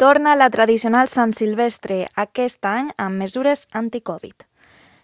Torna la tradicional Sant Silvestre, aquest any amb mesures anti-Covid.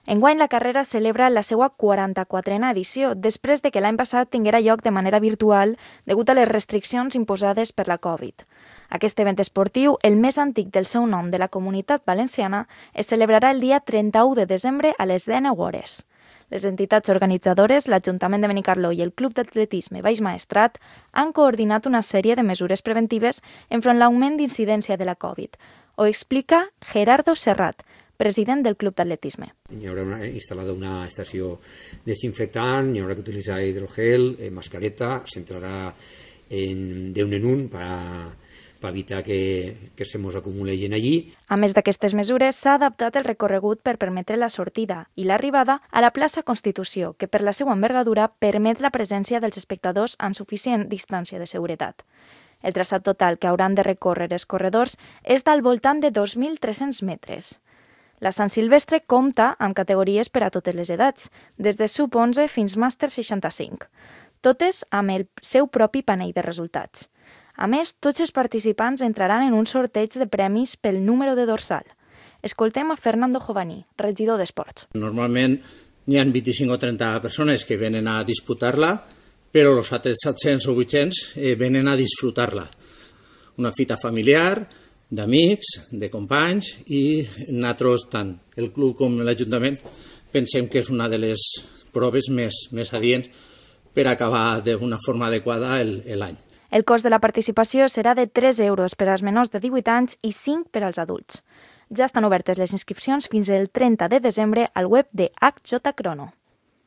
Enguany la carrera celebra la seva 44a edició, després de que l'any passat tinguera lloc de manera virtual degut a les restriccions imposades per la Covid. Aquest event esportiu, el més antic del seu nom de la Comunitat Valenciana, es celebrarà el dia 31 de desembre a les 19 hores. Les entitats organitzadores, l'Ajuntament de Benicarló i el Club d'Atletisme Baix Maestrat han coordinat una sèrie de mesures preventives enfront l'augment d'incidència de la Covid. Ho explica Gerardo Serrat, president del Club d'Atletisme. Hi haurà instal·lada una estació desinfectant, hi haurà que utilitzar hidrogel, mascareta, s'entrarà d'un en un per evitar que se mos acumulin allí. A més d'aquestes mesures, s'ha adaptat el recorregut per permetre la sortida i l'arribada a la plaça Constitució, que per la seva envergadura permet la presència dels espectadors amb suficient distància de seguretat. El traçat total que hauran de recórrer els corredors és del voltant de 2.300 metres. La Sant Silvestre compta amb categories per a totes les edats, des de sub-11 fins màster 65, totes amb el seu propi panell de resultats. A més, tots els participants entraran en un sorteig de premis pel número de dorsal. Escoltem a Fernando Jovani, regidor d'Esports. Normalment hi ha 25 o 30 persones que venen a disputar-la, però els altres 700 o 800 venen a disfrutar-la. Una fita familiar, d'amics, de companys, i nosaltres, tant el club com l'Ajuntament, pensem que és una de les proves més adients per acabar d'una forma adequada l'any. El cost de la participació serà de 3 euros per als menors de 18 anys i 5 per als adults. Ja estan obertes les inscripcions fins el 30 de desembre al web de HJ Crono.